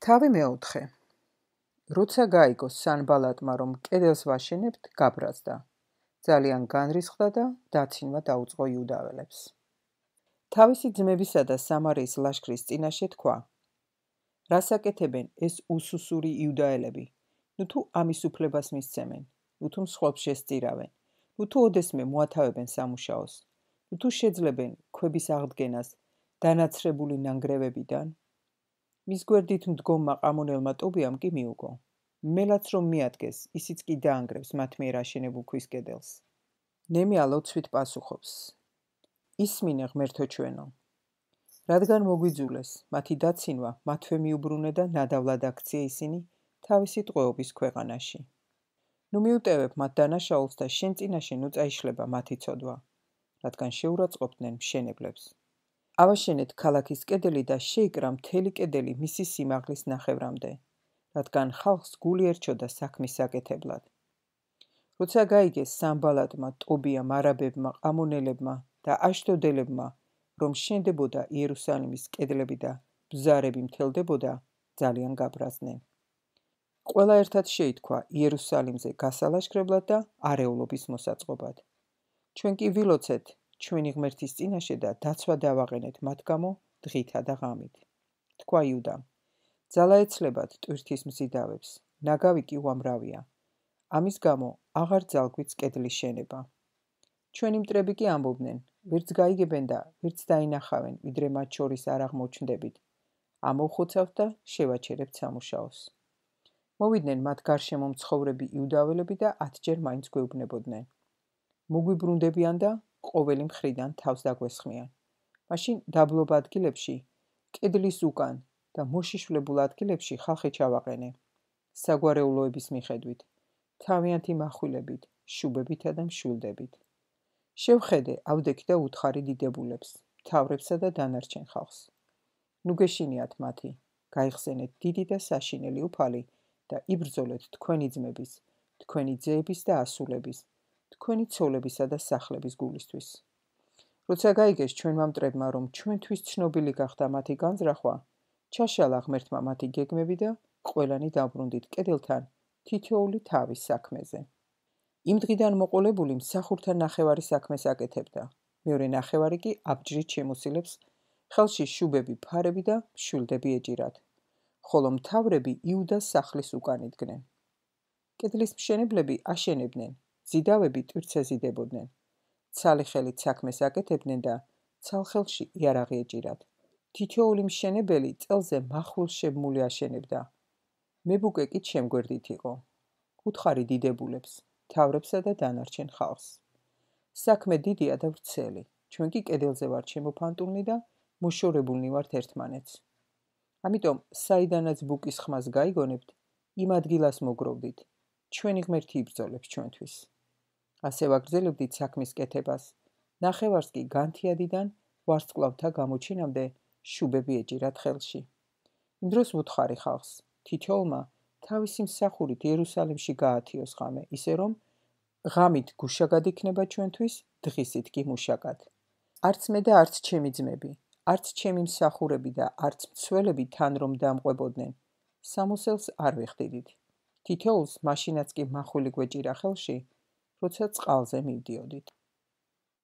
თავი მეოთხე. როცა გაიგო სანბალატმა, რომ კედელს ვაშენებთ, გაბრაზდა. ძალიან განრისხდა და დაცინვა დაუწყო იუდაველებს. თავისი ძმებისა და სამარიის ლაშქრის წინაშე თქვა: რას აკეთებენ ეს უსუსური იუდაელები? ნუ თუ ამის უფლებას მისცემენ, ნუ თუ მსხვერპლს შესწირავენ, ნუ თუ ოდესმე მოათავებენ სამუშაოს, ნუ თუ შეძლებენ ქვების აღდგენას დანაცრებული ნანგრევებიდან. მის გვერდით მდგომმა ყამონელმა ტობიამ კი მიუგო: მელაც რომ მიადგეს, ისიც კი დაანგრევს მათ მიერ აშენებულ ქვის კედელს. ნემია ლოცვით პასუხობს: ისმინე ღმერთო ჩვენო, რადგან მოგვიძულეს მათი დაცინვა, მათვე მიუბრუნე და ნადავლად აქცია ისინი თავისი ტყვეობის ქვეყანაში. ნუ მიუტევებ მათ დანაშაულს და შენ წინაშე ნუ წაიშლება მათი ცოდვა, რადგან შეურაცხყოფდნენ მშენებლებს. ავაშენეთ ქალაქის კედელი და შეიკრა მთელი კედელი მისი სიმაღლის ნახევრამდე, რადგან ხალხს გული ერჩოდა საქმის საკეთებლად. როცა გაიგეს სანბალატმა, ტობიამ, არაბებმა, ყამონელებმა და აშდოდელებმა, რომ შენდებოდა იერუსალიმის კედლები და ბზარები მთელდებოდა, ძალიან გაბრაზდნენ. ყველა ერთად შეითქვა იერუსალიმზე გასალაშქრებლად და არეულობის მოსაწყობად. ჩვენ კი ვილოცეთ ჩვენი ღმერთის წინაშე და დაცვა დავაყენეთ მათ გამო დღითა და ღამით. თქვა იუდამ: ძალა ეცლებათ ტვირთის მზიდავებს, ნაგავი კი უამრავია. ამის გამო აღარ ძალგვიც კედლის შენება. ჩვენი მტრები კი ამბობდნენ: ვერც გაიგებენ და ვერც დაინახავენ, ვიდრე მათ შორის არ აღმოჩნდებით. ამოვხოცავთ და შევაჩერებთ სამუშაოს. მოვიდნენ მათ გარშემო მცხოვრები იუდაველები და 10 ჯერ მაინც გვეუბნებოდნენ: მოგვიბრუნდებიან და ყოველი მხრიდან თავს დაგვესხმიან. მაშინ დაბლობ ადგილებში, კედლის უკან და მოშიშვლებულ ადგილებში ხალხი ჩავაყენე. საგვარეულოების მიხედვით, თავიანთი מחვილებით, შუბებითა და მშვილდებით. შევხედე, ავდექი და უთხარი დიდებულებს, მთავრებსა და დანარჩენ ხალხს. ნუ გეშინიათ მათი, გაიხსენეთ დიდი და საშინელი უფალი და იბრძოლეთ თქვენი ძმების, თქვენი ძეების და ასულების, თქვენი ცოლებისა და სახლების გულისთვის. როცა გაიგეს ჩვენმა მტრებმა, რომ ჩვენთვის ცნობილი გახდა მათი განზრახვა, ჩაშალა ღმერთმა მათი გეგმები და ყველანი დაბრუნდით კედელთან თითოეული თავის საქმეზე. იმ დღიდან მოყოლებული მსახურთა ნახევარი საქმეს აკეთებდა, მეორე ნახევარი კი აბჯრით შემოსილებს ხელში შუბები, ფარები და მშვილდები ეჭირათ, ხოლო მთავრები იუდას სახლის უკან იდგნენ. კედლის მშენებლები აშენებდნენ, ზიდავები ტვირთს ეზიდებოდნენ, ცალი ხელით საქმეს აკეთებდნენ და ცალ ხელში იარაღი ეჭირათ. თითოეული მშენებელი წელზე მახვილს შემმული აშენებდა. მებუკე კი ჩემ გვერდით იყო. უთხარი დიდებულებს, მთავრებსა და დანარჩენ ხალხს. საქმე დიდია და ვრცელი, ჩვენ კი კედელზე ვართ შემოფანტულნი და მოშორებულნი ვართ ერთმანეთს. ამიტომ საიდანაც ბუკის ხმას გაიგონებთ, იმ ადგილას მოგროვდით, ჩვენი ღმერთი იბრძოლებს ჩვენთვის. ასე ვაგრძელებდით საქმის კეთებას, ნახევარს კი განთიადიდან ვარსკვლავთა გამოჩენამდე შუბები ეჭირათ ხელში. იმ დროს ვუთხარი ხალხს, თითოეულმა თავისი მსახურით იერუსალიმში გაათიოს ღამე, ისე რომ ღამით გუშაგად იქნება ჩვენთვის, დღისით კი მუშაკად. არც მე და არც ჩემი ძმები, არც ჩემი მსახურები და არც მცველები თან რომ დამყვებოდნენ, სამოსელს არ ვეხდიდით. თითოეულს მაშინაც კი მახვილი გვეჭირა ხელში, როცა წყალზე მივდიოდით.